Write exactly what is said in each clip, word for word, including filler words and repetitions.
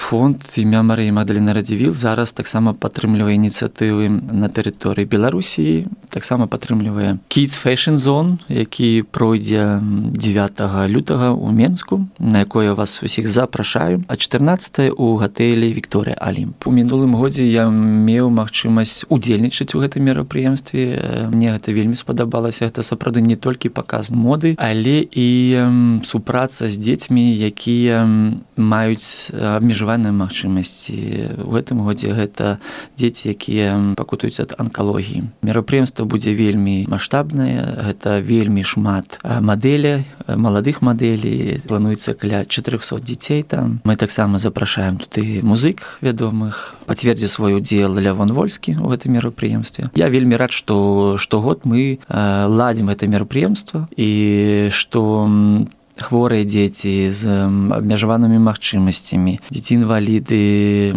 фонд імя Марыі Магдаліны Радзівіл зараз таксама падтрымлівае ініцыятывы на тэрыторыі Беларусі, таксама падтрымлівае Kids Fashion Zone, які пройдзе дзевятага лютага ў Менску, на якое вас усіх запрашаю, а чатырнаццатага ў гатэлі Вікторыя Алімп. У мінулым годзе я меў магчымасць удзельнічаць у гэтым мерапрыемстве. Мне гэта вельмі спадабалася. Гэта сапраўды не толькі паказ моды, але і супраца з дзецьмі, якія маюць абмежаваныя магчымасці. У гэтым годзе гэта дзеці, якія пакутуюць ад анкалогіі. Мерапрыемства будзе вельмі маштабнае, гэта вельмі шмат мадэлей, маладых мадэлей, плануецца каля чатырохсот дзяцей там. Мы таксама запрашаем тут і музык вядомых. Пацвердзіць свой удзел Лявон Вольскі ў гэтым мерапрыемстве. Я вельмі рад, што штогод мы ладзім гэта мерапрыемства і што хворыя дзеці з абмежаванымі магчымасцямі, дзеці-інваліды,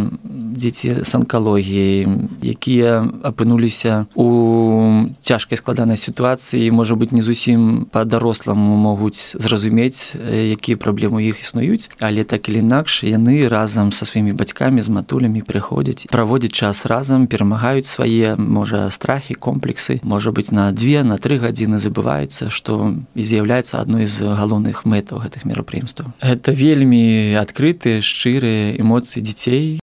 дзеці з анкалогіяй, якія апынуліся у цяжкай складанай сітуацыі, можа быць, не зусім па-даросламу могуць зразумець, якія праблемы ў іх існуюць, але так или інакш яны разам са сваімі бацькамі, з матулямі прыходзяць, праводзяць час разам, перамагаюць свае, можа, страхі, комплексы, можа быць, на дзве, на тры гадзіны забываюцца, што і з'яўляецца адной з галоўных мэтаў гэтых мерапрыемстваў. Гэта вельмі адкрытыя, шчырыя эмоцыі дзяцей,